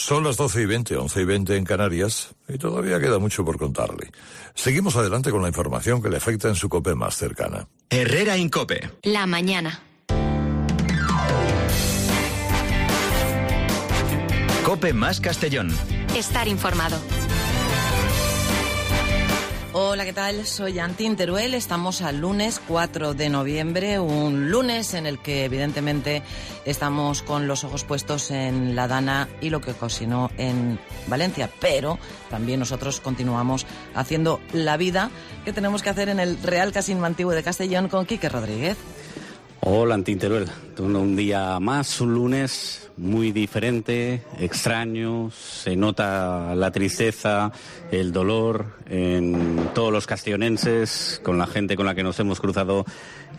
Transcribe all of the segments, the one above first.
Son las 12:20, 11:20 en Canarias, y todavía queda mucho por contarle. Seguimos adelante con la información que le afecta en su COPE más cercana. Herrera Incope. La mañana. COPE más Castellón. Estar informado. Hola, ¿qué tal? Soy Antín Teruel. Estamos al lunes 4 de noviembre, un lunes en el que evidentemente estamos con los ojos puestos en la Dana y lo que ocasionó en Valencia, pero también nosotros continuamos haciendo la vida que tenemos que hacer en el Real Casino Antiguo de Castellón con Quique Rodríguez. Hola, Antín Teruel. Un día más, un lunes muy diferente, extraño. Se nota la tristeza, el dolor en todos los castellonenses, con la gente con la que nos hemos cruzado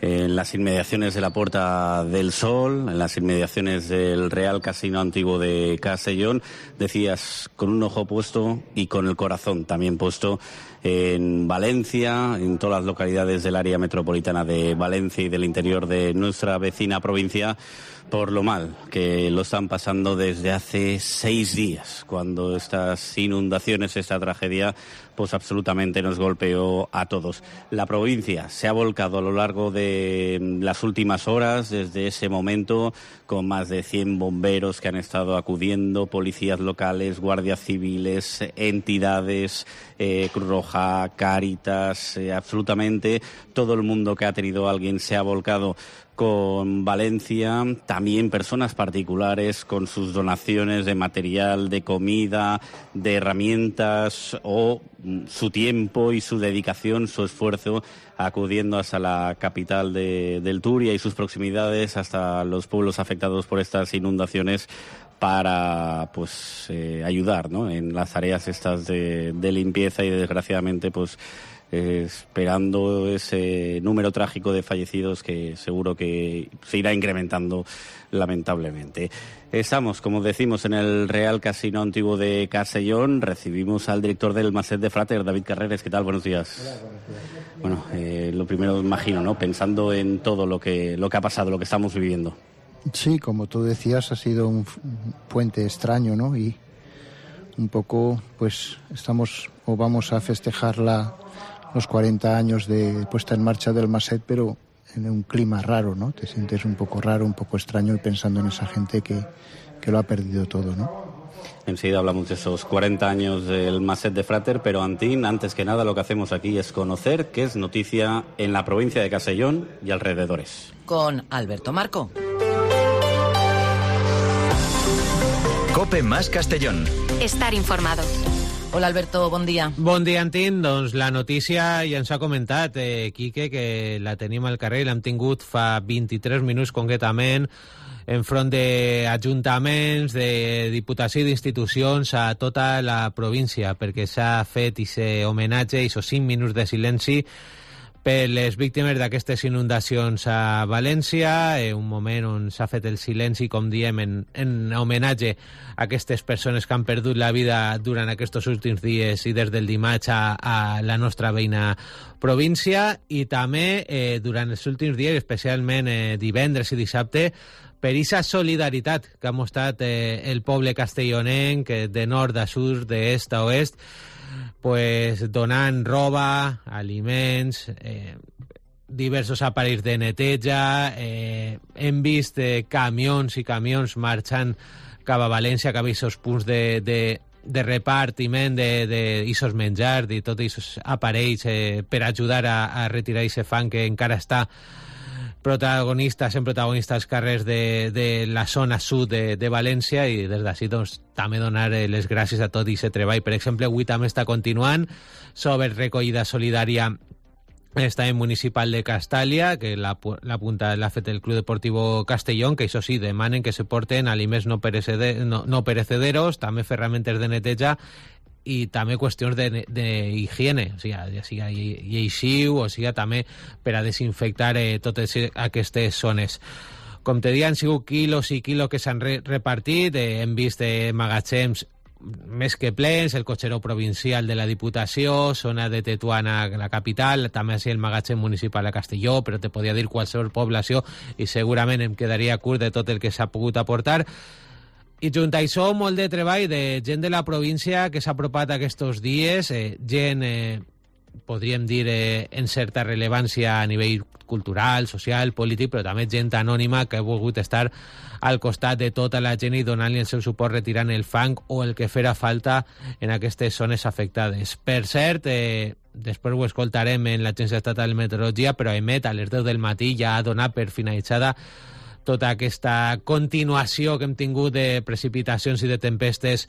en las inmediaciones de la Puerta del Sol, en las inmediaciones del Real Casino Antiguo de Castellón. Decías, con un ojo puesto y con el corazón también puesto en Valencia, en todas las localidades del área metropolitana de Valencia y del interior de nuestra vecina provincia, por lo mal que lo están pasando desde hace 6 días, cuando estas inundaciones, esta tragedia, pues absolutamente nos golpeó a todos. La provincia se ha volcado a lo largo de las últimas horas, desde ese momento, con más de 100 bomberos que han estado acudiendo, policías locales, guardias civiles, entidades, Cruz Roja, Cáritas, absolutamente todo el mundo que ha tenido a alguien se ha volcado con Valencia, también personas particulares con sus donaciones de material, de comida, de herramientas o su tiempo y su dedicación, su esfuerzo, acudiendo hasta la capital del Turia y sus proximidades, hasta los pueblos afectados por estas inundaciones, para ayudar, ¿no?, en las tareas estas de limpieza y desgraciadamente esperando ese número trágico de fallecidos que seguro que se irá incrementando lamentablemente. Estamos, como decimos, en el Real Casino Antiguo de Castellón. Recibimos al director del Maset de Frater, David Carreras. ¿Qué tal? Buenos días. Hola, buenos días. Bueno, lo primero imagino, ¿no?, pensando en todo lo que ha pasado, lo que estamos viviendo. Sí, como tú decías, ha sido un puente extraño, ¿no? Y un poco, vamos a festejar los 40 años de puesta en marcha del Maset, pero en un clima raro, ¿no? Te sientes un poco raro, un poco extraño, y pensando en esa gente que lo ha perdido todo, ¿no? Enseguida hablamos de esos 40 años del Maset de Frater, pero Antín, antes que nada lo que hacemos aquí es conocer qué es noticia en la provincia de Castellón y alrededores. Con Alberto Marco. COPE más Castellón. Estar informado. Hola, Alberto, bon dia. Bon dia, Antín. Doncs la notícia ja ens ha comentat, Quique, que la tenim al carrer, l'hem tingut fa 23 minuts concretament, enfront d'ajuntaments, de diputació i d'institucions a tota la província, perquè s'ha fet aquest homenatge, aquests 5 minuts de silenci per les víctimes d'aquestes inundacions a València, un moment on s'ha fet el silenci, com diem, en homenatge a aquestes persones que han perdut la vida durant aquests últims dies i des del dimarts a la nostra veïna província, i també durant els últims dies, especialment divendres i dissabte, per aquesta solidaritat que ha mostrat el poble castellonenc de nord a sud, d'est a oest, donant roba, aliments, diversos aparells de neteja. Hem vist camions i camions marxant cap a València, cap a aquests punts de repartiment d'aquests menjars, de tots aquests aparells per ajudar a retirar aquest fang que encara està protagonista als carrers de la zona sud de València, i des d'ací també donar les gràcies a tot aquest treball. Per exemple, avui també està continuant sobre recollida solidària l'estadi municipal de Castàlia, que l'ha fet el Club Deportivo Castellón, que això sí, demanen que se porten aliments no perecederos, també ferramentes de neteja i també qüestions d'higiene, o sigui, ja siga lleixiu o sigui també per a desinfectar totes aquestes zones. Com te dic, han sigut quilos i quilos que s'han repartit, hem vist magatzems més que plens, el cotxeró provincial de la Diputació, zona de Tetuana, la capital, també així el magatzem municipal a Castelló, però te podia dir qualsevol població i segurament em quedaria curt de tot el que s'ha pogut aportar. I junt a això, molt de treball de gent de la província que s'ha apropat aquests dies, gent, podríem dir, en certa rellevància a nivell cultural, social, polític, però també gent anònima que ha volgut estar al costat de tota la gent i donant-li el seu suport retirant el fang o el que fera falta en aquestes zones afectades. Per cert, després ho escoltarem en l'Agència Estatal de Meteorologia, però emet a les 10 del matí ja ha donat per finalitzada tota aquesta continuació que hem tingut de precipitacions i de tempestes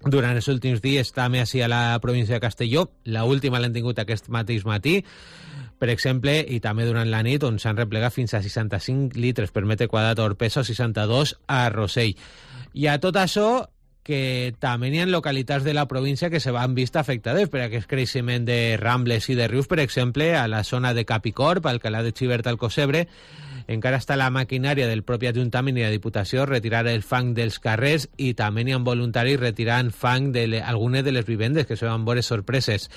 durant els últims dies, també així a la província de Castelló. L'última l'hem tingut aquest mateix matí, per exemple, i també durant la nit, on s'han replegat fins a 65 litres per metre quadrat a Orpesa o 62 a Rossell. I a tot això, que també hi ha localitats de la província que se van vist afectades per aquest creixement de rambles i de rius, per exemple, a la zona de Capicorb, al Alcalá de Xivert, al Cosebre, encara està la maquinària del propi Ajuntament i la Diputació retirar el fang dels carrers i també hi ha voluntaris retirant fang d'algunes de les vivendes, que se van veure sorpreses.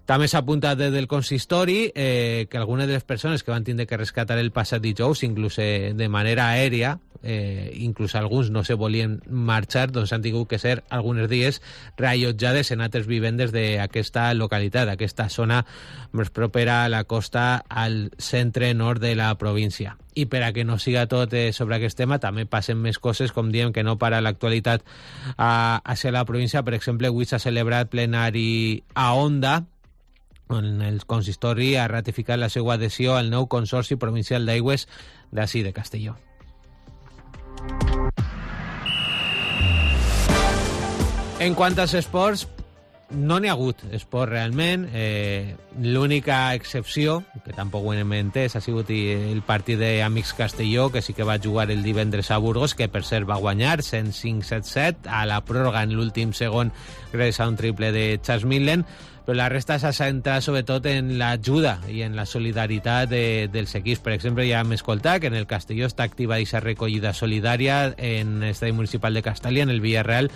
També s'ha apuntat des del consistori que algunes de les persones que van tindre que rescatar el passat dijous, inclús de manera aèria, inclús alguns no se volien marxar, doncs han tingut que ser alguns dies reallotjades en altres vivendes d'aquesta localitat, aquesta zona més propera a la costa al centre-nord de la província. I per a que no siga tot sobre aquest tema, també passen més coses, com diem que no para l'actualitat hacia la província. Per exemple, avui s'ha celebrat plenari a Onda, on el consistori ha ratificat la seva adhesió al nou Consorci Provincial d'Aigües d'ací de Castelló. En quant als esports, no n'hi ha hagut esport realment. L'única excepció, que tampoc ho hem entès, ha sigut el partit d'Amics Castelló, que sí que va jugar el divendres a Burgos, que per cert va guanyar 105-77 a la pròrroga en l'últim segon gràcies a un triple de Chas Millen, però la resta s'ha centrat sobretot en l'ajuda i en la solidaritat dels equips. Per exemple, ja hem escoltat que en el Castelló està activa aquesta recollida solidària en l'estadi municipal de Castellà, en el Villarreal.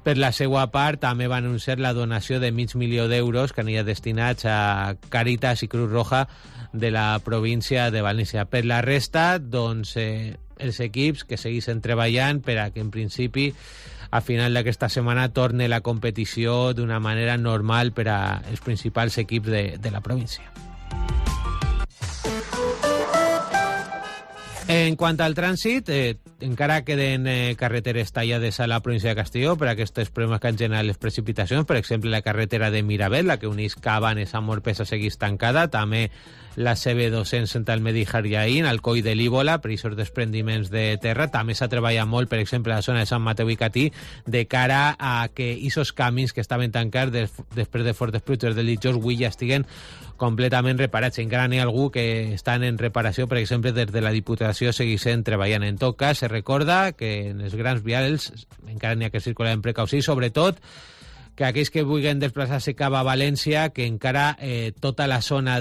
Per la seva part, també va anunciar la donació de $500,000 d'euros que aniria destinats a Càritas i Cruz Roja de la província de València. Per la resta, doncs, els equips que segueixen treballant per a que, en principi, a final d'aquesta setmana torne la competició d'una manera normal per als principals equips de la província. En quant al trànsit, encara queden carreteres tallades a la província de Castelló per aquests problemes que han generat les precipitacions. Per exemple, la carretera de Miravet, la que uneix Cabanes amb Orpesa, segueix tancada. També la CB200 entre el Medi Jariaín, al Coll de l'Íbola, per aquests desprendiments de terra. També s'ha treballat molt, per exemple, a la zona de Sant Mateu i Catí, de cara a que aquests camins que estaven tancats després de fortes pluges del dijous avui ja estiguen completament reparats. Encara n'hi ha algú que estan en reparació, per exemple, des de la Diputació segueixen treballant. En tot cas, se recorda que en els grans vials encara n'hi ha que circular en precaució i, sobretot, que aquells que vulguin desplaçar-se cap a València, que encara tota la zona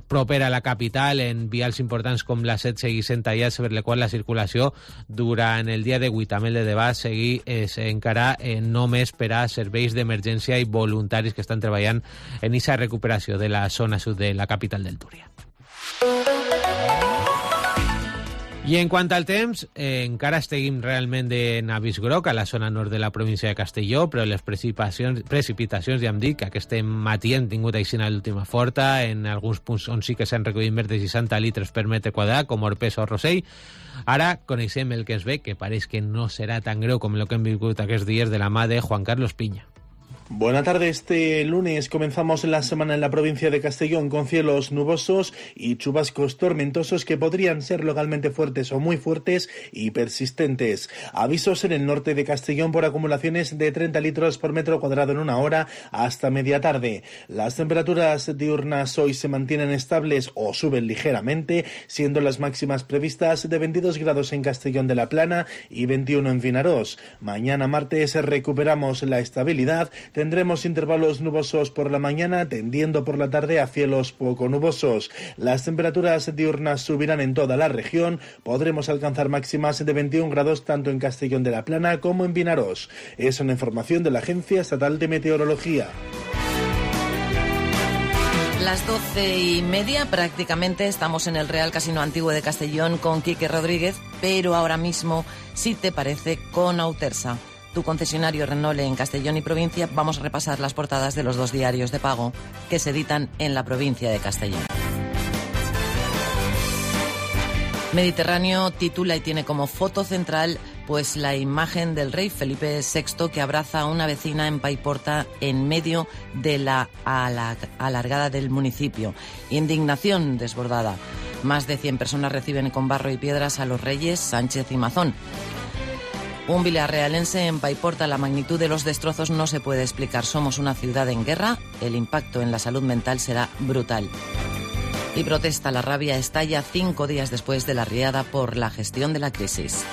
propera a la capital, en vials importants com la 7, segueixen tallats, per la qual la circulació durant el dia d'avui, també el de demà, segueix encara només per a serveis d'emergència i voluntaris que estan treballant en aquesta recuperació de la zona sud de la capital del Túria. I en quant al temps, encara estiguem realment en avís groc a la zona nord de la província de Castelló, però les precipitacions ja hem dit que aquest matí hem tingut aixina l'última forta, en alguns punts on sí que s'han recollit més de 60 litres per metre quadrat, com Orpesa o Rossell. Ara coneixem el que ens ve, que pareix que no serà tan greu com el que hem viscut aquests dies de la mà de Juan Carlos Piña. Buenas tardes. Este lunes comenzamos la semana en la provincia de Castellón con cielos nubosos y chubascos tormentosos que podrían ser localmente fuertes o muy fuertes y persistentes. Avisos en el norte de Castellón por acumulaciones de 30 litros por metro cuadrado en una hora hasta media tarde. Las temperaturas diurnas hoy se mantienen estables o suben ligeramente, siendo las máximas previstas de 22 grados en Castellón de la Plana y 21 en Vinarós. Mañana martes recuperamos la estabilidad. Tendremos intervalos nubosos por la mañana, tendiendo por la tarde a cielos poco nubosos. Las temperaturas diurnas subirán en toda la región. Podremos alcanzar máximas de 21 grados tanto en Castellón de la Plana como en Vinarós. Es una información de la Agencia Estatal de Meteorología. Las 12:30 prácticamente estamos en el Real Casino Antiguo de Castellón con Quique Rodríguez. pero ahora mismo, si te parece, con Autersa, tu concesionario Renault en Castellón y provincia. Vamos a repasar las portadas de los 2 diarios de pago que se editan en la provincia de Castellón. Mediterráneo titula y tiene como foto central pues la imagen del rey Felipe VI que abraza a una vecina en Paiporta en medio de la alargada del municipio. Indignación desbordada. Más de 100 personas reciben con barro y piedras a los reyes Sánchez y Mazón. Un vilarrealense en Paiporta: la magnitud de los destrozos no se puede explicar. Somos una ciudad en guerra, el impacto en la salud mental será brutal. Y protesta, la rabia estalla 5 días después de la riada por la gestión de la crisis.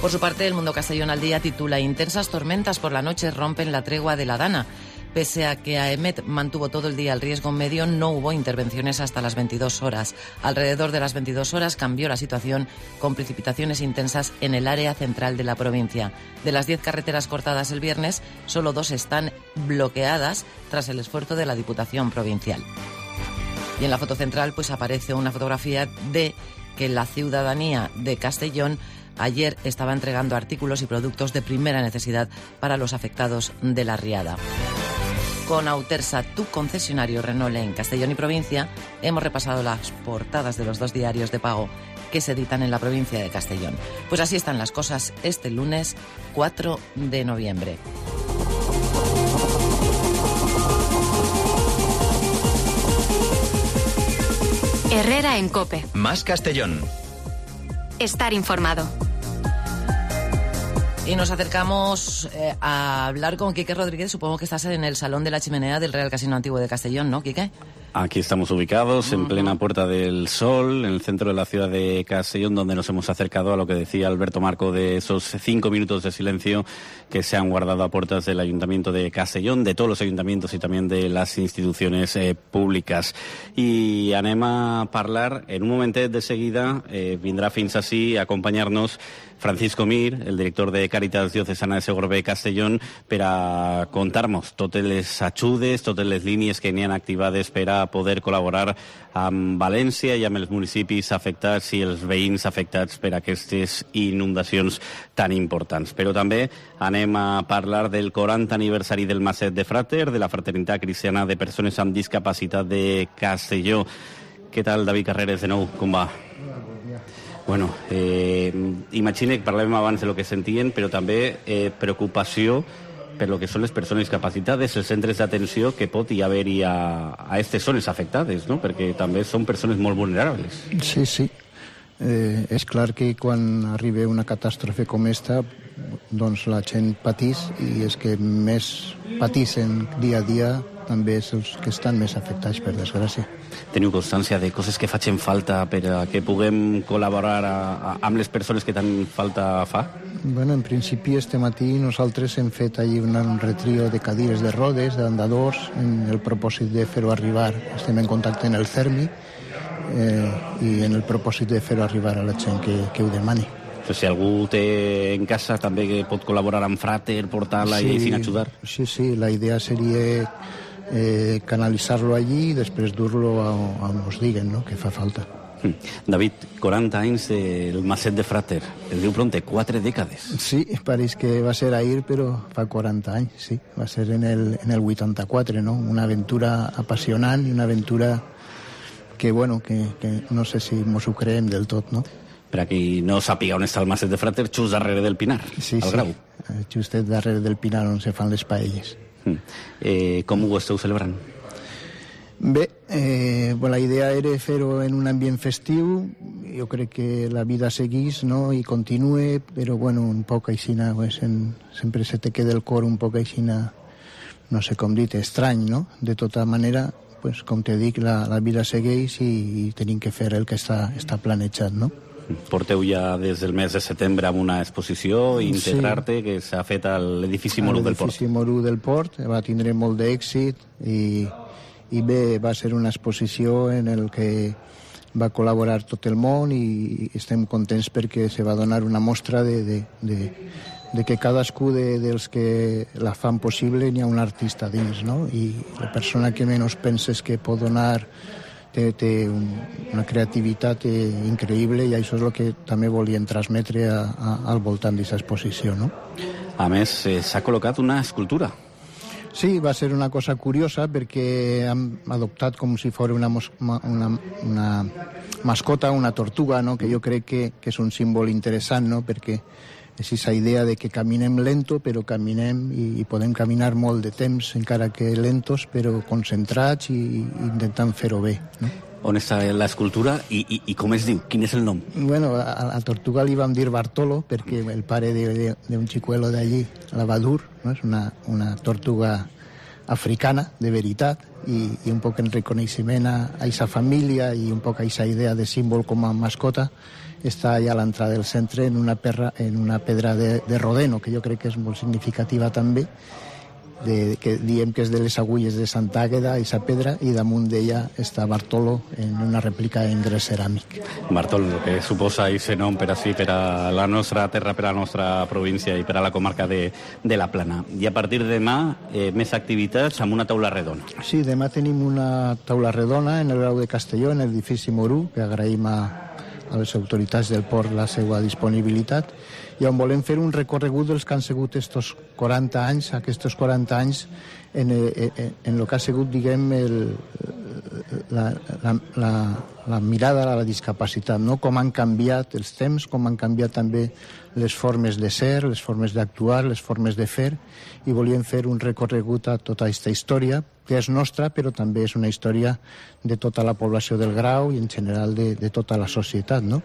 Por su parte, El Mundo Castellón al Día titula: intensas tormentas por la noche rompen la tregua de la Dana. Pese a que AEMET mantuvo todo el día el riesgo medio, no hubo intervenciones hasta las 22 horas. Alrededor de las 22 horas cambió la situación con precipitaciones intensas en el área central de la provincia. De las 10 carreteras cortadas el viernes, solo 2 están bloqueadas tras el esfuerzo de la Diputación Provincial. Y en la foto central pues aparece una fotografía de que la ciudadanía de Castellón ayer estaba entregando artículos y productos de primera necesidad para los afectados de la riada. Con Autersa, tu concesionario Renault en Castellón y provincia, hemos repasado las portadas de los 2 diarios de pago que se editan en la provincia de Castellón. Pues así están las cosas este lunes 4 de noviembre. Herrera en COPE. Más Castellón. Estar informado. Y nos acercamos a hablar con Quique Rodríguez. Supongo que estás en el Salón de la Chimenea del Real Casino Antiguo de Castellón, ¿no, Quique? Aquí estamos ubicados, en plena Puerta del Sol, en el centro de la ciudad de Castellón, donde nos hemos acercado a lo que decía Alberto Marco de esos 5 minutos de silencio que se han guardado a puertas del Ayuntamiento de Castellón, de todos los ayuntamientos y también de las instituciones públicas. I anem a parlar, en un momentet de seguida, vindrà fins ací a acompanyar-nos Francisco Mir, el director de Càritas Diocesana de Segorbe Castellón, per a contar-nos totes les ajudes, totes les línies que n'hi ha activades per a poder col·laborar amb València i amb els municipis afectats i els veïns afectats per aquestes inundacions tan importants. Però també anem a parlar del 40 aniversari del Maset de Frater, de la Fraternitat Cristiana de Persones amb Discapacitat de Castelló. Què tal, David Carreras, de nou? Com va? Bueno, imagine que parlàvem abans de lo que sentien, però també preocupació per lo que són les persones discapacitades, els centres d'atenció que pot hi haver-hi a aquestes zones afectades, no? Perquè també són persones molt vulnerables. Sí, sí. És clar que quan arriba una catàstrofe com esta, doncs la gent patís, i és que més patissin dia a dia també és els que estan més afectats, per desgràcia. Teniu constància de coses que facin falta per a que puguem col·laborar amb les persones que tant falta fa? Bueno, en principi este matí nosaltres hem fet allí un retrio de cadires de rodes, d'andadors, en el propòsit de fer-ho arribar. Estem en contacte en el CERMI i en el propòsit de fer-ho arribar a la gent que ho demani. Però si algú té en casa també que pot col·laborar amb Frater, portar-la i sin ajudar. Sí, sí, la idea seria canalitzar-lo allí i després dur-lo on ens diguen, no?, que fa falta. David, 40 anys del Maset de Frater. El diu pronte, 4 dècades. Sí, pareix que va ser ahir, però fa 40 anys, sí. Va ser en el 84, no? Una aventura apassionant i una aventura que, bueno, que no sé si mos ho creem del tot, no? Per a qui no sàpiga on està el Maset de Frater, just darrere del Pinar, sí, al Grau. Sí, justet darrere del Pinar on se fan les paelles. Com ho esteu celebrant? Bé, la idea era fer-ho en un ambient festiu. Jo crec que la vida seguís, no?, i continue, però bueno, un poc aixina, pues, sempre se te queda el cor un poc aixina, no sé com dir, estrany, no? De tota manera, pues, com te dic, la vida segueix i tenim que fer el que està planejat, no? Porteu ja des del mes de setembre amb una exposició, Integrarte, sí, que s'ha fet a l'edifici Morú del Port. L'edifici Morú del Port va tindre molt d'èxit i bé, va ser una exposició en el que va col·laborar tot el món i estem contents perquè se va donar una mostra de que cadascú dels que la fan possible n'hi ha un artista dins, no? I la persona que menys penses que pot donar té una creativitat increïble, i això és el que també volien transmetre al voltant d'aquesta exposició, no? A més, s'ha col·locat una escultura. Sí, va ser una cosa curiosa perquè hem adoptat com si fos una mascota, una tortuga, no? Que jo crec que és un símbol interessant, no? Perquè és aquesta idea de que caminem lento, però caminem i podem caminar molt de temps, encara que lentos, però concentrats i intentant fer-ho bé, no? On està l'escultura i com es diu? Quin és el nom? Bueno, a la tortuga li vam dir Bartolo, perquè el pare d'un xicuelo d'allí, la Badur, no? És una tortuga africana, de veritat, i un poc en reconeixement a aquesta família i un poc a aquesta idea de símbol com a mascota. Està allà a l'entrada del centre en una pedra de rodeno, que jo crec que és molt significativa també, que diem que és de les agulles de Santa Àgueda, aquesta pedra, i damunt d'ella està Bartolo en una rèplica en gres ceràmic. Bartolo, que suposa aquest nom per a la nostra terra, per a la nostra província i per a la comarca de la Plana. I a partir de demà, més activitats amb una taula redona. Sí, demà tenim una taula redona en el Grau de Castelló, en l'edifici Morú, que agraïm a les autoritats del port la seva disponibilitat, i on volem fer un recorregut dels que han sigut aquests 40 anys, en el que ha sigut, diguem, la mirada a la discapacitat, no? Com han canviat els temps, com han canviat també les formes de ser, les formes d'actuar, les formes de fer, i volíem fer un recorregut a tota aquesta història, que és nostra, però també és una història de tota la població del Grau i en general de tota la societat, no?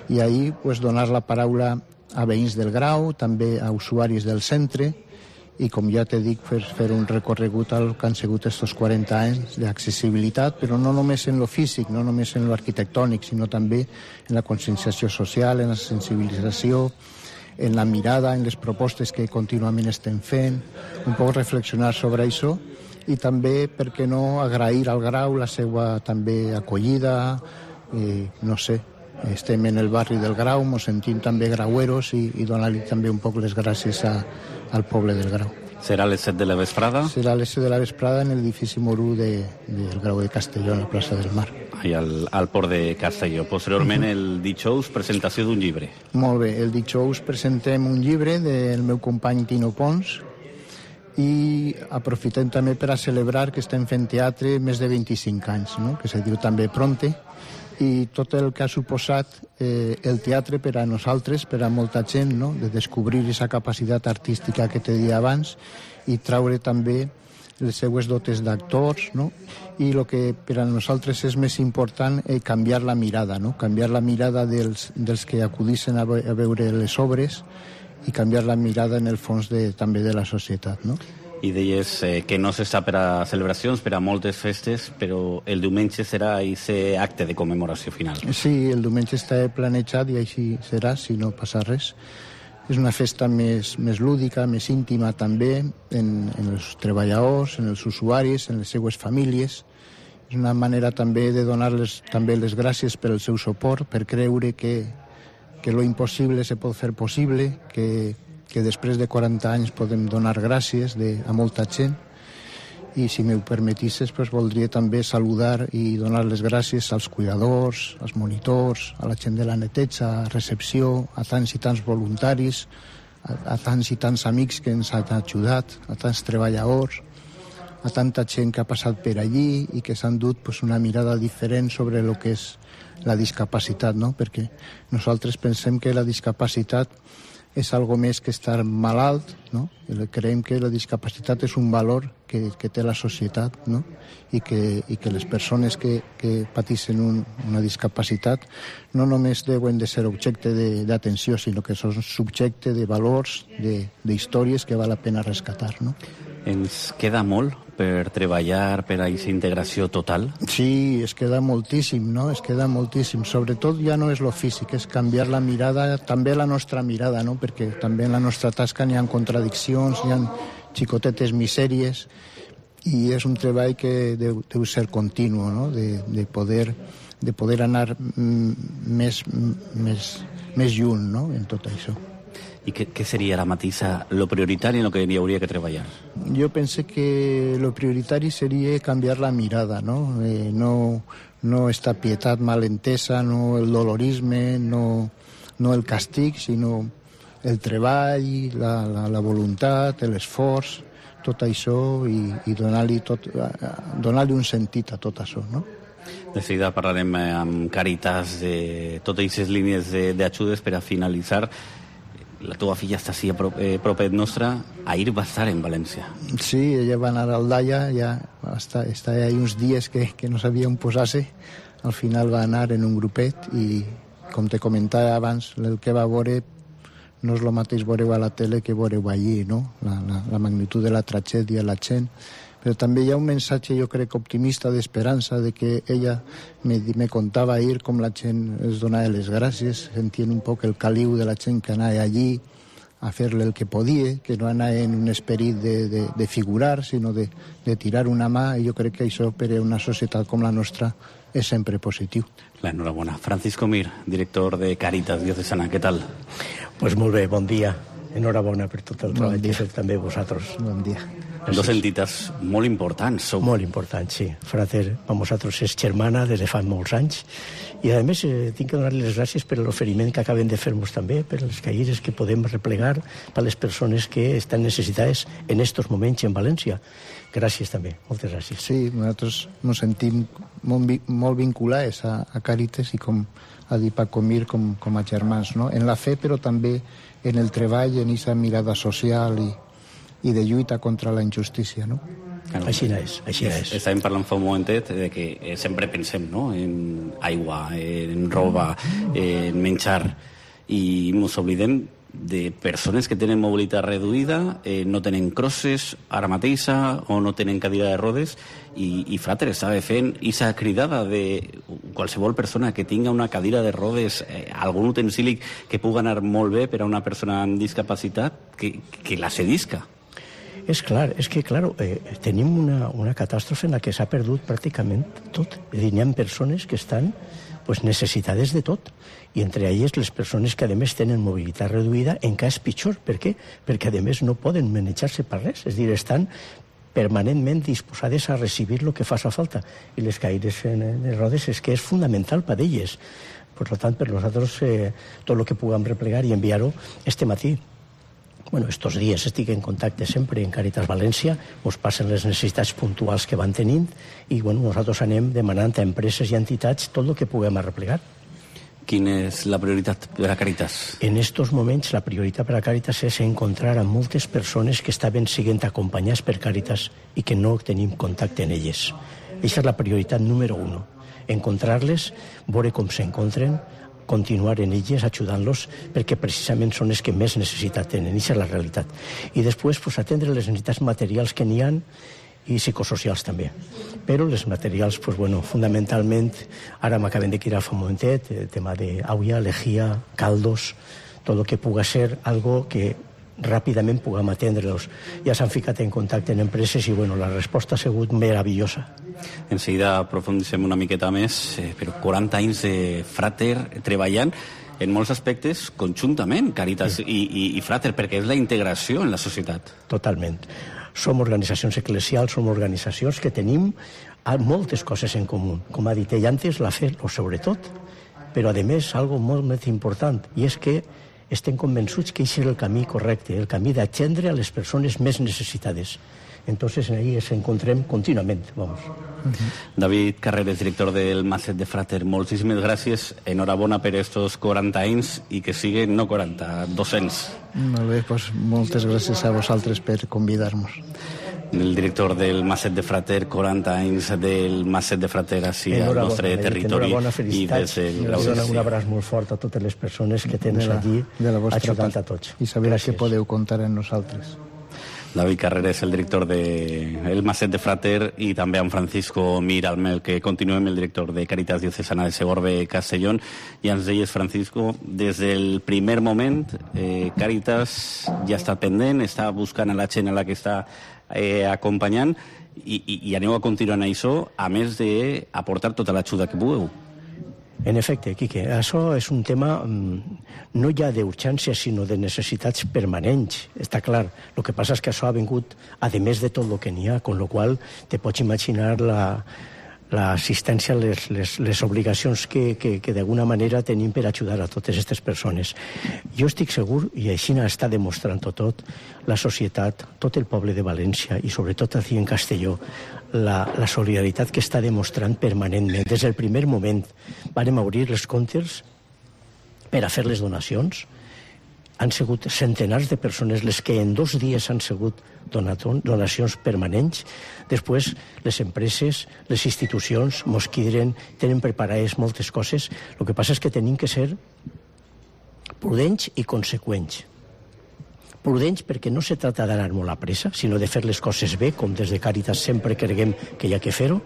I ahir, pues, donar la paraula a veïns del Grau, també a usuaris del centre, i, com ja t'he dit, fer un recorregut al que han sigut aquests 40 anys d'accessibilitat, però no només en lo físic, no només en lo arquitectònic, sinó també en la conscienciació social, en la sensibilització, en la mirada, en les propostes que contínuament estem fent, un poc reflexionar sobre això, i també, per què no, agrair al Grau la seva també acollida, no sé, estem en el barri del Grau, ens sentim també graueros i donar-li també un poc les gràcies al poble del Grau. Serà a les 7 de la vesprada? Serà a les 7 de la vesprada en l'edifici Morú del Grau de Castelló, en la plaça del Mar. I al port de Castelló. Posteriorment, el dijous, presentació d'un llibre. Molt bé, el dijous presentem un llibre del meu company Tino Pons, i aprofitem també per a celebrar que estem fent teatre més de 25 anys, no? Que se diu també Pronte, i tot el que ha suposat el teatre per a nosaltres, per a molta gent, no? De descobrir aquesta capacitat artística que t'he dit abans i traure també les seues dotes d'actors, no? I el que per a nosaltres és més important, canviar la mirada, no? Canviar la mirada dels que acudissin a veure les obres i canviar la mirada en el fons també de la societat, no? I deies que no s'està per a celebracions, per a moltes festes, però el diumenge serà aquest acte de commemoració final. Sí, el diumenge està planejat i així serà, si no passa res. És una festa més lúdica, més íntima també, en els treballadors, en els usuaris, en les seues famílies. És una manera també de donar-les també les gràcies per el seu suport, per creure que lo impossible se pot fer possible, que després de 40 anys podem donar gràcies a molta gent, i si m'ho permetisses, pues, voldria també saludar i donar les gràcies als cuidadors, als monitors, a la gent de la neteja, a recepció, a tants i tants voluntaris, a tants i tants amics que ens han ajudat, a tants treballadors, a tanta gent que ha passat per allí i que s'han dut, pues, una mirada diferent sobre el que és la discapacitat, no? Perquè nosaltres pensem que la discapacitat és algo més que estar malalt, no? Creiem que la discapacitat és un valor que té la societat, no? I que les persones que pateixen una discapacitat no només deuen de ser objecte d'atenció, sinó que són subjecte de valors, d'històries que val la pena rescatar, no? Ens queda molt per treballar per a aquesta integració total? Sí, es queda moltíssim, no? Es queda moltíssim. Sobretot ja no és lo físic, és canviar la mirada, també la nostra mirada, no? Perquè també en la nostra tasca n'hi ha contradiccions, n'hi ha xicotetes misèries, i és un treball que deu ser continu, no? De poder anar més lluny, no? En tot això. I què seria ara mateix lo prioritari en el que hi hauria que treballar? yo pensé que lo prioritario sería cambiar la mirada, ¿no? No esta pietat malentesa, no el dolorisme, no el castig, sinó el treball, la voluntat, l'esforç, tot això i donar-li un sentit a tot això, no? De seguida parlarem amb Càritas de totes aquestes línies d'ajudes per a finalitzar. La teva filla està així a propet nostra. Ahir va estar en València. Sí, ella va anar a Aldaia, ja està ahí uns dies que no sabia on posar-se. Al final va anar en un grupet i, com te comentava abans, el que va veure no és el mateix veure-ho a la tele que veure-ho allí, no? La magnitud de la tragèdia, la gent. Però també hi ha un missatge, jo crec, optimista, d'esperança, de que ella me contava ahir com la gent es donava les gràcies, sentien un poc el caliu de la gent que anava allí a fer-li el que podia, que no anava en un esperit de figurar, sinó de tirar una mà, i jo crec que això per a una societat com la nostra és sempre positiu. L'enhorabona. Francisco Mir, director de Càritas Diocesana, què tal? Pues molt bé, bon dia. Enhorabona per tot el treball que feu també vosaltres. Bon dia. Dos entitats molt importants. Molt importants, sí. Frater, per vosaltres és germana des de fa molts anys i a més tinc que donar-li les gràcies per l'oferiment que acaben de fer-nos també, per les caïres que podem replegar per les persones que estan necessitades en estos moments en València. Gràcies també, moltes gràcies. Sí, nosaltres ens sentim molt vinculats a Càritas i com ha dit Paco Mir com a germans, no? En la fe, però també en el treball, en aquesta mirada social i de lluita contra la injustícia, no? Claro. Així és. Estàvem parlant fa un momentet de que sempre pensem, no?, en aigua, en roba, en menjar, i ens oblidem de persones que tenen mobilitat reduïda, no tenen crosses ara mateixa o no tenen cadira de rodes, i Frater estava fent aquesta cridada de qualsevol persona que tinga una cadira de rodes, algun utensili que pugui anar molt bé per a una persona amb discapacitat, que la cedisca. És clar, tenim una catàstrofe en la que s'ha perdut pràcticament tot. És a dir, hi ha persones que estan necessitades de tot, i entre elles les persones que a més tenen mobilitat reduïda encara és pitjor. Per què? Perquè a més no poden manejar-se per res, és a dir, estan permanentment disposades a recibir el que faci falta, i les caïres de rodes és que és fundamental per a elles. Per tant, per nosaltres, tot el que puguem replegar i enviar-ho este matí. Estos dies estic en contacte sempre en Càritas València, ens passen les necessitats puntuals que van tenint i nosaltres anem demanant a empreses i entitats tot el que puguem arreplegar. Quina és la prioritat per a Càritas? En estos moments la prioritat per a Càritas és encontrar a moltes persones que estaven sent acompanyades per Càritas i que no tenim contacte en elles. Aquesta és la prioritat número 1. Encontrar-les, veure com s'encontren, continuar en elles, ajudant-los, perquè precisament són els que més necessitat tenen. Aquesta és la realitat. I després atendre les necessitats materials que n'hi ha i psicosocials també. Però les materials, fundamentalment, ara m'acaben de cridar fa un momentet, el tema d'aigua, lejía, caldos, tot el que pugui ser algo que ràpidament puguem atendre-los. Ja s'han ficat en contacte en empreses i la resposta ha sigut meravellosa. En seguida aprofundissem una miqueta més, però 40 anys de Frater treballant en molts aspectes conjuntament, Càritas i Frater, perquè és la integració en la societat. Totalment. Som organitzacions eclesials, som organitzacions que tenim moltes coses en comú. Com ha dit ell antes, la fe, sobretot, però a més, algo molt més important, i és que estem convençuts que aquest és el camí correcte, el camí d'atendre a les persones més necessitades. Entonces, ahí ens encontrem contínuament, vamos. David Carreras, director del Maset de Frater, moltíssimes gràcies, enhorabona per estos 40 anys i que siguen no 40, 200. Molt bé, moltes gràcies a vosaltres per convidar-nos. El director del Maset de Frater, 40 anys del Maset de Frater així al nostre territori. Enhorabona, felicitats. Un abraç molt fort a totes les persones que tenen allí ajudant a tots. I saber que podeu comptar en nosaltres. David Carreras, el director del Maset de Frater, i també amb Francisco Mir, amb el que continuem, el director de Càritas Diocesana de Segorbe Castellón. I ens deies, Francisco, des del primer moment Càritas ja està pendent, està buscant a la gent a la que està acompanyant, i aneu a continuar en això, a més d'aportar tota l'ajuda que pugueu. En efecte, Quique, això és un tema no ja d'urgència, sinó de necessitats permanents. Està clar. El que passa és que això ha vingut a més de tot el que n'hi ha, con lo qual te pots imaginar l'assistència, les obligacions que d'alguna manera tenim per ajudar a totes aquestes persones. Jo estic segur, i així està demostrant tot, la societat, tot el poble de València i sobretot aquí en Castelló, la solidaritat que està demostrant permanentment. Des del primer moment vàrem obrir els comptes per a fer les donacions. Han sigut centenars de persones les que en 2 dies han sigut donacions permanents. Després, les empreses, les institucions, mos tenen preparades moltes coses. El que passa és que tenim que ser prudents i conseqüents. Prudents perquè no se trata d'anar molt a pressa, sinó de fer les coses bé, com des de Càritas sempre creguem que hi ha que fer-ho.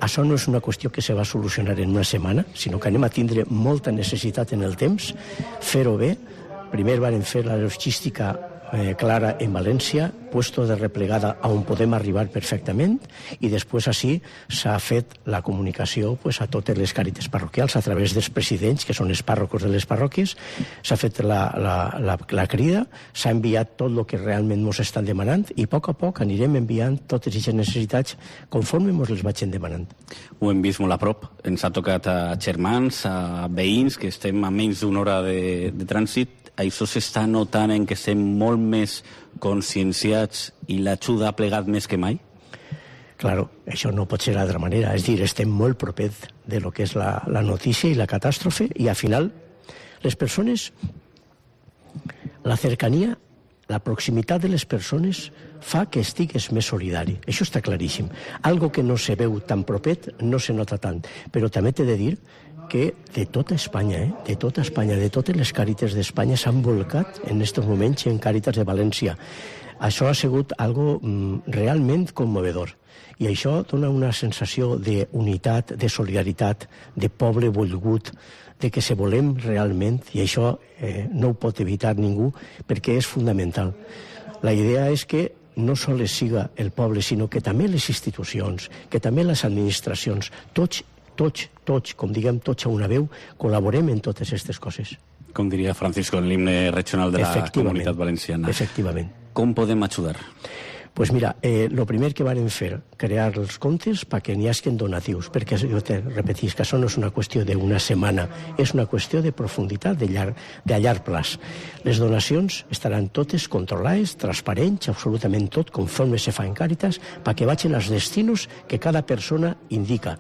Això no és una qüestió que se va solucionar en una setmana, sinó que anem a tindre molta necessitat en el temps, fer-ho bé. Primer van fer la logística clara en València, puesto de replegada on podem arribar perfectament, i després així s'ha fet la comunicació a totes les càritas parroquials a través dels presidents, que són els pàrrocos de les parròquies. S'ha fet la crida, s'ha enviat tot el que realment ens estan demanant, i a poc anirem enviant totes aquestes necessitats conforme ens les vagin demanant. Ho hem vist molt a prop. Ens ha tocat a germans, a veïns, que estem a menys d'una hora de trànsit. Això s'està notant en que estem molt més conscienciats i l'ajuda ha plegat més que mai? Claro, això no pot ser d'altra manera. És dir, estem molt propers de lo que és la notícia i la catàstrofe, i al final les persones, la cercania, la proximitat de les persones fa que estigues més solidari. Això està claríssim. Algo que no se veu tan propet no se nota tant. Però també t'he de dir que de tota Espanya, de totes les càritas d'Espanya s'han volcat en aquests moments en Càritas de València. Això ha sigut algo realment commovedor. I això dona una sensació d'unitat, de solidaritat, de poble volgut, de que se volem realment, i això no ho pot evitar ningú, perquè és fundamental. La idea és que no sols siga el poble, sinó que també les institucions, que també les administracions, tots, com diguem, tots a una veu, col·laborem en totes aquestes coses. Com diria Francisco en l'himne regional de la Comunitat Valenciana. Efectivament. Com podem ajudar? Pues mira, lo primer que varen fer, crear els comptes perquè n'hi hagin donatius, perquè jo te repetís que això no és una qüestió d'una setmana, és una qüestió de profunditat, de llarg plaç. Les donacions estaran totes controlades, transparents, absolutament tot, conforme se fa en Càritas, perquè vagin als destinos que cada persona indica.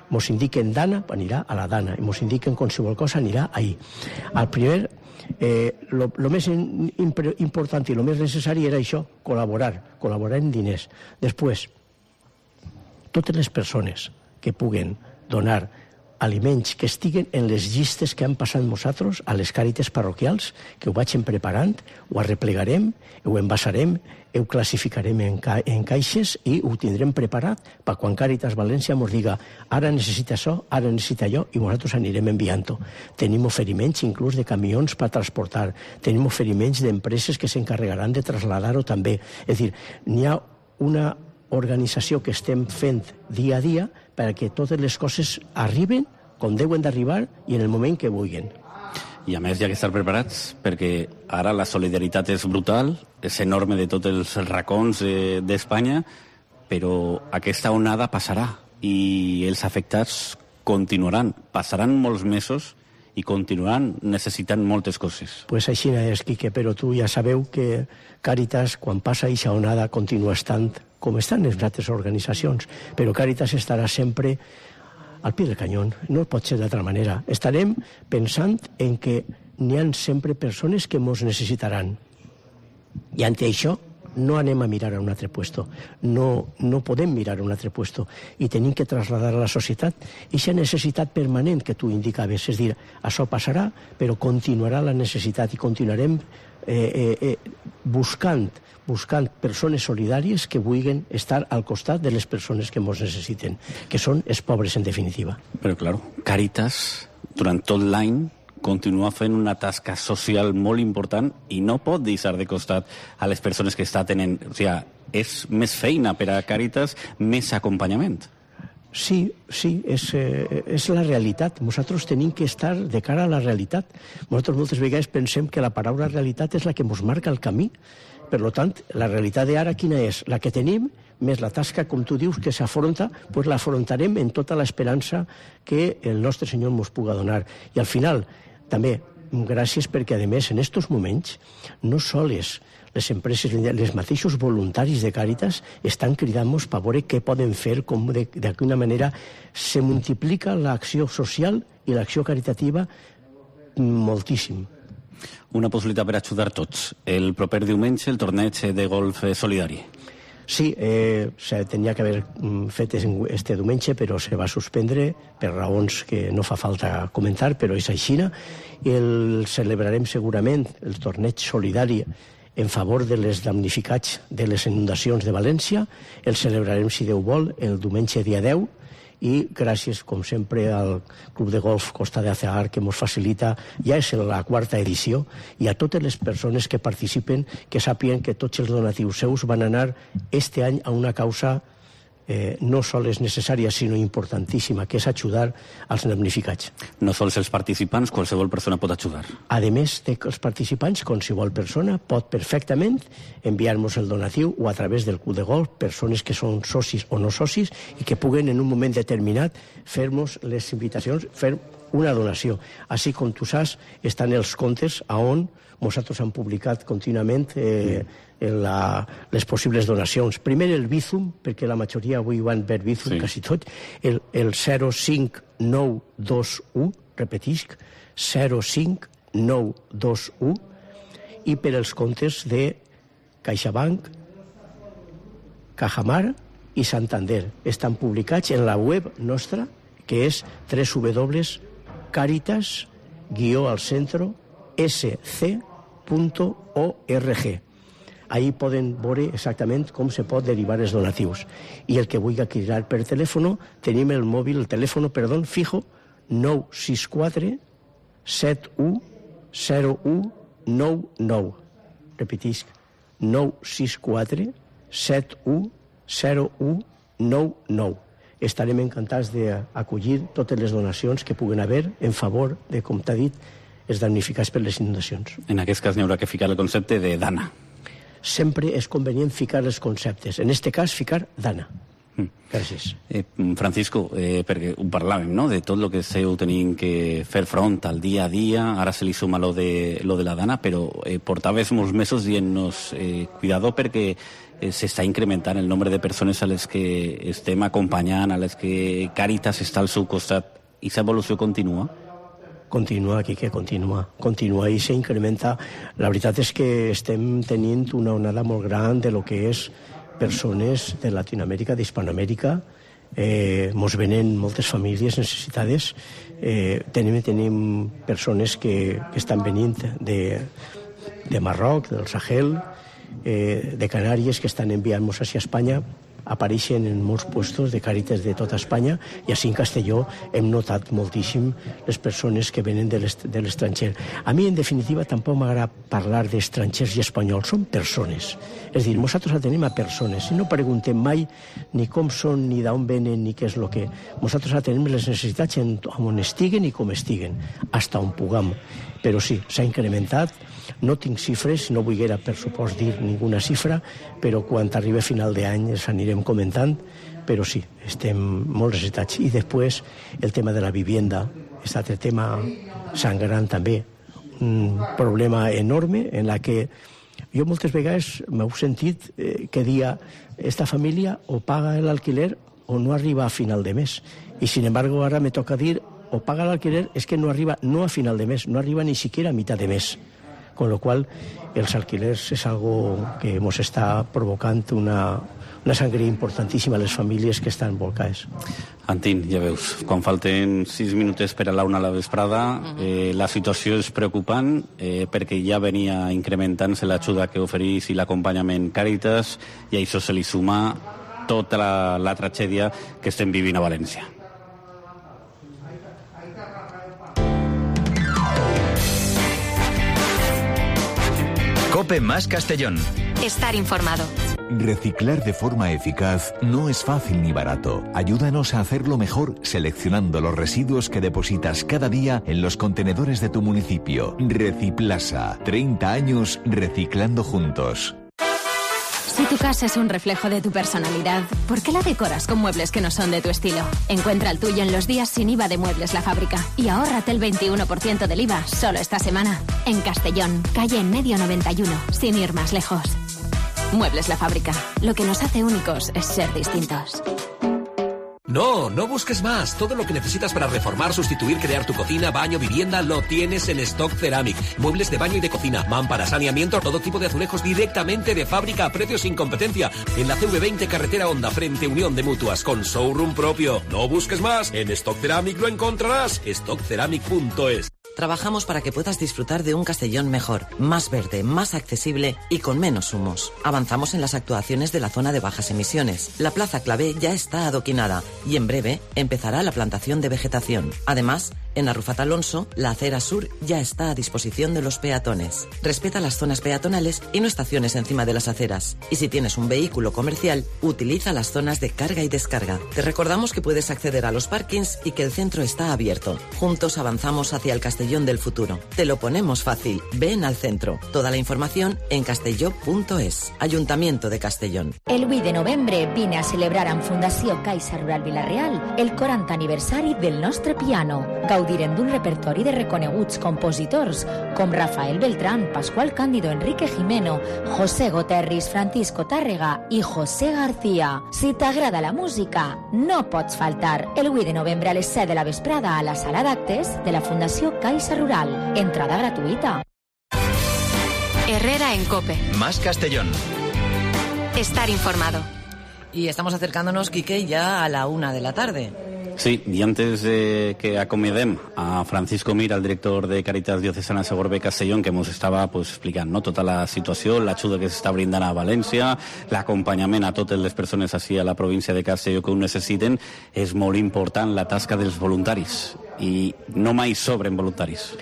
Mos indiquen Dana, anirà a la Dana, i mos indiquen qualsevol cosa, anirà ahí. Al primer, lo més important i lo més necessari era això, col·laborar en diners. Després, totes les persones que puguen donar aliments que estiguen en les llistes que han passat nosaltres a les càritas parroquials, que ho vagin preparant, ho arreplegarem, ho envasarem, ho classificarem en caixes i ho tindrem preparat per quan Càritas València ens diga ara necessita això, ara necessita allò, i nosaltres anirem enviant-ho. Tenim oferiments inclús de camions per transportar, tenim oferiments d'empreses que s'encarregaran de traslladar-ho també. És dir, n'hi ha una organització que estem fent dia a dia perquè totes les coses arriben com deuen d'arribar i en el moment que vulguin. I a més hi ha que estar preparats perquè ara la solidaritat és brutal, és enorme de tots els racons d'Espanya, però aquesta onada passarà i els afectats continuaran. Passaran molts mesos i continuaran necessitant moltes coses. Pues així és, Quique, però tu ja sabeu que Càritas, quan passa aquesta onada, continua estant com estan les altres organitzacions, però Càritas estarà sempre al pie del canyón, no pot ser d'altra manera. Estarem pensant en que n'hi ha sempre persones que ens necessitaran. I ante això no anem a mirar a un altre puesto, no podem mirar a un altre puesto, i tenim que traslladar a la societat aquesta necessitat permanent que tu indicaves, és dir, això passarà, però continuarà la necessitat i continuarem buscant persones solidàries que vulguin estar al costat de les persones que ens necessiten, que són els pobres en definitiva. Però, clar, Càritas, durant tot l'any, continua fent una tasca social molt important i no pot deixar de costat a les persones que està tenint. O sigui, és més feina per a Càritas, més acompanyament. Sí, és la realitat. Nosaltres tenim que estar de cara a la realitat. Nosaltres moltes vegades pensem que la paraula realitat és la que ens marca el camí. Per tant, la realitat d'ara quina és? La que tenim, més la tasca, com tu dius, que s'afronta, doncs l'afrontarem en tota l'esperança que el nostre Senyor ens puga donar. I al final, també, gràcies perquè, a més, en aquests moments, no sols les empreses, els mateixos voluntaris de Càritas estan cridant-nos per veure què poden fer, com d'alguna manera se multiplica l'acció social i l'acció caritativa moltíssim. Una possibilitat per ajudar tots. El proper diumenge, el torneig de golf solidari. Sí, se tenia que haver fet este diumenge, però se va suspendre per raons que no fa falta comentar, però és així. El celebrarem segurament, el torneig solidari en favor de les damnificats de les inundacions de València. El celebrarem, si Déu vol, el diumenge dia 10, i gràcies, com sempre, al Club de Golf Costa de Azagar, que ens facilita, ja és la 4ª edició, i a totes les persones que participen, que sàpiguen que tots els donatius seus van anar este any a una causa no sols necessària, sinó importantíssima, que és ajudar als damnificats. No sols els participants, qualsevol persona pot ajudar. A més dels participants, qualsevol persona pot perfectament enviar-nos el donatiu o a través del Club de Golf, persones que són socis o no socis i que puguen en un moment determinat fer-nos les invitacions, fer una donació. Així com tu saps, estan els comptes on nosaltres hem publicat contínuament les possibles donacions. Primer el Bizum, perquè la majoria avui van per Bizum, quasi tot, el 05921, repetisc, 05921, i per els comptes de CaixaBank, Cajamar i Santander. Estan publicats en la web nostra, que és www.caritas-sc.org. Ahí poden veure exactament com se pot derivar els donatius. I el que vulgui cridar per telèfon, tenim el telèfon fijo 964 710199. Repetisc, 964 710199. Estarem encantats d'acollir totes les donacions que puguen haver en favor de, com t'ha dit, els damnificats per les inundacions. En aquest cas n'hi haurà que ficar el concepte de Dana. Sempre és convenient ficar els conceptes. En aquest cas, ficar Dana. Gràcies. Francisco, perquè ho parlàvem, no?, de tot el que esteu tenint que fer front al dia a dia, ara se li suma lo de la Dana, però portaves molts mesos dient-nos cuidado perquè s'està incrementant el nombre de persones a les que estem acompanyant, a les que Càritas està al seu costat. I aquesta evolució continua? Continua, Quique, continua i s'incrementa. La veritat és que estem tenint una onada molt gran de lo que és persones de Latinoamèrica, d'Hispanoamèrica. Mos venen moltes famílies necessitades. Tenim persones que estan venint de Marroc, del Sahel, de Canàries, que estan enviant-nos hacia Espanya. Apareixen en molts puestos de Càritas de tota Espanya, i així en Castelló hem notat moltíssim les persones que venen de l'estranger. A mi, en definitiva, tampoc m'agrada parlar d'estrangers i espanyols, són persones. És a dir, nosaltres atenem a persones, i no preguntem mai ni com són, ni d'on venen, ni què és el que... Nosaltres atenem les necessitats on estiguen i com estiguen, fins on puguem. Però sí, s'ha incrementat. No tinc xifres, no vull per supost dir ninguna xifra, però quan arribi a final d'any els anirem comentant, però sí, estem molt necessitats. I després el tema de la vivienda, és altre tema sangrant també, un problema enorme en la que jo moltes vegades m'heu sentit que dia esta família o paga l'alquiler o no arriba a final de mes. I sin embargo ara me toca dir o paga l'alquiler, és que no arriba no a final de mes, no arriba ni siquiera a mitad de mes. Con lo cual, els alquilers és algo que ens està provocant una sangria importantíssima a les famílies que estan volcades. Antín, ja veus, quan falten 6 minuts per a la 1 a la vesprada, la situació és preocupant perquè ja venia incrementant-se l'ajuda que oferís i l'acompanyament Càritas, i a això se li suma tota la tragèdia que estem vivint a València. COPE más Castellón. Estar informado. Reciclar de forma eficaz no es fácil ni barato. Ayúdanos a hacerlo mejor seleccionando los residuos que depositas cada día en los contenedores de tu municipio. Reciplasa. 30 años reciclando juntos. Si tu casa es un reflejo de tu personalidad, ¿por qué la decoras con muebles que no son de tu estilo? Encuentra el tuyo en los días sin IVA de Muebles La Fábrica y ahórrate el 21% del IVA solo esta semana. En Castellón, calle en medio 91, sin ir más lejos. Muebles La Fábrica. Lo que nos hace únicos es ser distintos. No, no busques más. Todo lo que necesitas para reformar, sustituir, crear tu cocina, baño, vivienda, lo tienes en Stock Ceramic. Muebles de baño y de cocina, mámparas, saneamiento, todo tipo de azulejos directamente de fábrica a precios sin competencia. En la CV20 Carretera Honda, frente Unión de Mutuas, con showroom propio. No busques más. En Stock Ceramic lo encontrarás. stockceramic.es. Trabajamos para que puedas disfrutar de un Castellón mejor, más verde, más accesible y con menos humos. Avanzamos en las actuaciones de la zona de bajas emisiones. La Plaza Clavé ya está adoquinada y en breve empezará la plantación de vegetación. Además, en Arrufat Alonso, la acera sur ya está a disposición de los peatones. Respeta las zonas peatonales y no estaciones encima de las aceras. Y si tienes un vehículo comercial, utiliza las zonas de carga y descarga. Te recordamos que puedes acceder a los parkings y que el centro está abierto. Juntos avanzamos hacia el Castellón del futuro. Te lo ponemos fácil. Ven al centro. Toda la información en castelló.es. Ayuntamiento de Castellón. El 8 de novembre vine a celebrar en Fundació Caixa Rural Vila-real el 40 aniversari del nostre piano. Gaudirem d'un repertori de reconeguts compositors com Rafael Beltrán, Pascual Cándido, Enrique Jimeno, José Goterris, Francisco Tàrrega i José García. Si t'agrada la música, no pots faltar. El 8 de novembre a les 7 de la vesprada a la sala d'actes de la Fundació Caixa Rural. Entrada gratuita. Herrera en COPE. Más Castellón. Estar informado. Y estamos acercándonos, Quique, ya a la 1 de la tarde. Sí, i antes de que acomidem a Francisco Mir, el director de Càritas Diocesana Segorbe Castellón, que ens estava explicant tota la situació, l'ajuda que s'està brindant a València, l'acompanyament a totes les persones així a la província de Castelló que ho necessiten, és molt important la tasca dels voluntaris i no mai sobren voluntaris.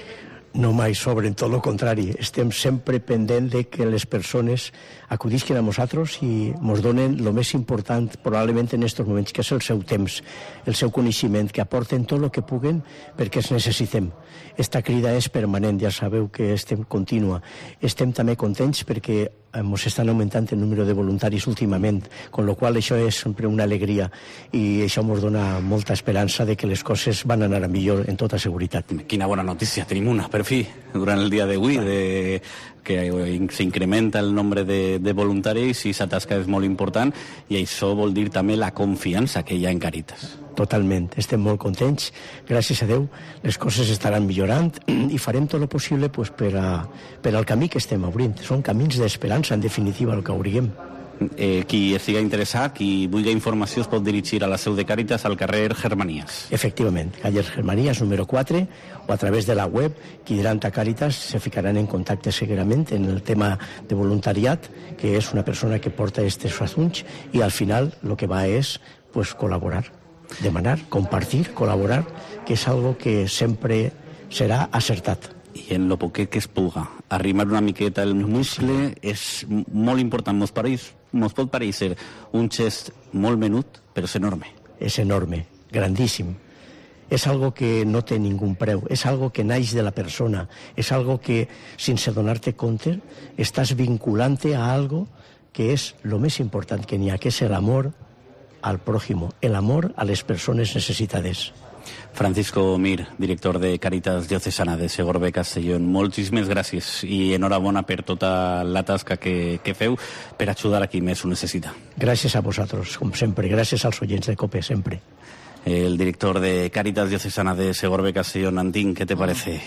No mai sobren, tot el contrari. Estem sempre pendent de que les persones acudisquen a nosaltres i ens donen el més important probablement en aquests moments, que és el seu temps, el seu coneixement, que aporten tot el que puguen perquè els necessitem. Esta crida és permanent, ja sabeu que estem contínua. Estem també contents perquè ens estan augmentant el número de voluntaris últimament, con lo qual això és sempre una alegria i això ens dona molta esperança de que les coses van anar a millor en tota seguretat. Quina bona notícia, tenim una, per fi, durant el dia d'avui, que s'incrementa el nombre de voluntaris i la tasca és molt important i això vol dir també la confiança que hi ha en Càritas. Totalment, estem molt contents, gràcies a Déu les coses estaran millorant i farem tot el possible per al camí que estem obrint. Són camins d'esperança, en definitiva, el que obrirem. Qui estiga interessat, qui vulgui informació, es pot dirigir a la seu de Càritas al carrer Germanías. Efectivament, carrer Germanías número 4 o a través de la web Quidranta Càritas se ficaran en contacte seguidament en el tema de voluntariat, que és una persona que porta aquests assumptes i al final el que va és col·laborar, demanar, compartir, col·laborar, que és algo que sempre serà acertat. I en lo poquet que es puga, arrimar una miqueta el muscle és molt important. Mos pot parèixer un gest molt menut, però és enorme. És enorme, grandíssim. És algo que no té ningú preu, és algo que naix de la persona, és algo que, sense donar-te compte, estàs vinculant-te a algo que és el més important que n'hi ha, que és l'amor al prójimo, el amor a les persones necessitades. Francisco Mir, director de Càritas Diocesana de Segorbe Castellón, moltíssimes gràcies i enhorabona per tota la tasca que feu per ajudar a qui més ho necessita. Gràcies a vosaltres, com sempre, gràcies als oients de COPE, sempre. El director de Càritas Diocesana de Segorbe Castellón, Antín, ¿qué te parece?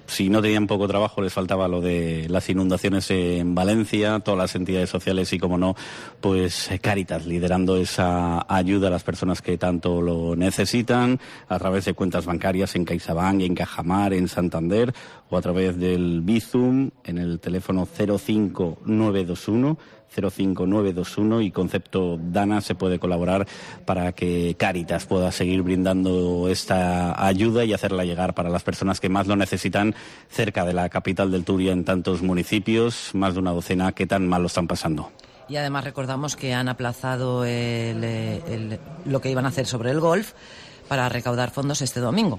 Si no tenían poco trabajo, les faltaba lo de las inundaciones en Valencia, todas las entidades sociales y, como no, pues Càritas liderando esa ayuda a las personas que tanto lo necesitan a través de cuentas bancarias en CaixaBank, en Cajamar, en Santander o a través del Bizum en el teléfono 05921 05921 y concepto Dana se puede colaborar para que Cáritas pueda seguir brindando esta ayuda y hacerla llegar para las personas que más lo necesitan cerca de la capital del Turia, en tantos municipios, más de una docena que tan mal lo están pasando. Y además recordamos que han aplazado lo que iban a hacer sobre el golf para recaudar fondos este domingo.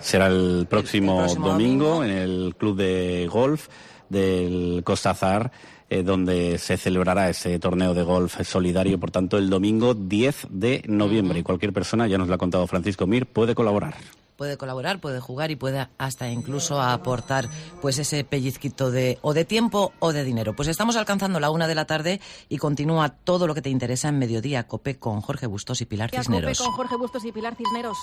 Será el próximo domingo en el club de golf del Costa Azar, donde se celebrará ese torneo de golf solidario. Por tanto, el domingo 10 de noviembre. Y cualquier persona, ya nos lo ha contado Francisco Mir, puede colaborar. Puede colaborar, puede jugar y puede hasta incluso aportar pues ese pellizquito de tiempo o de dinero. Pues estamos alcanzando la 1 de la tarde y continúa todo lo que te interesa en Mediodía Cope con Jorge Bustos y Pilar Cisneros. Cope con Jorge Bustos y Pilar Cisneros.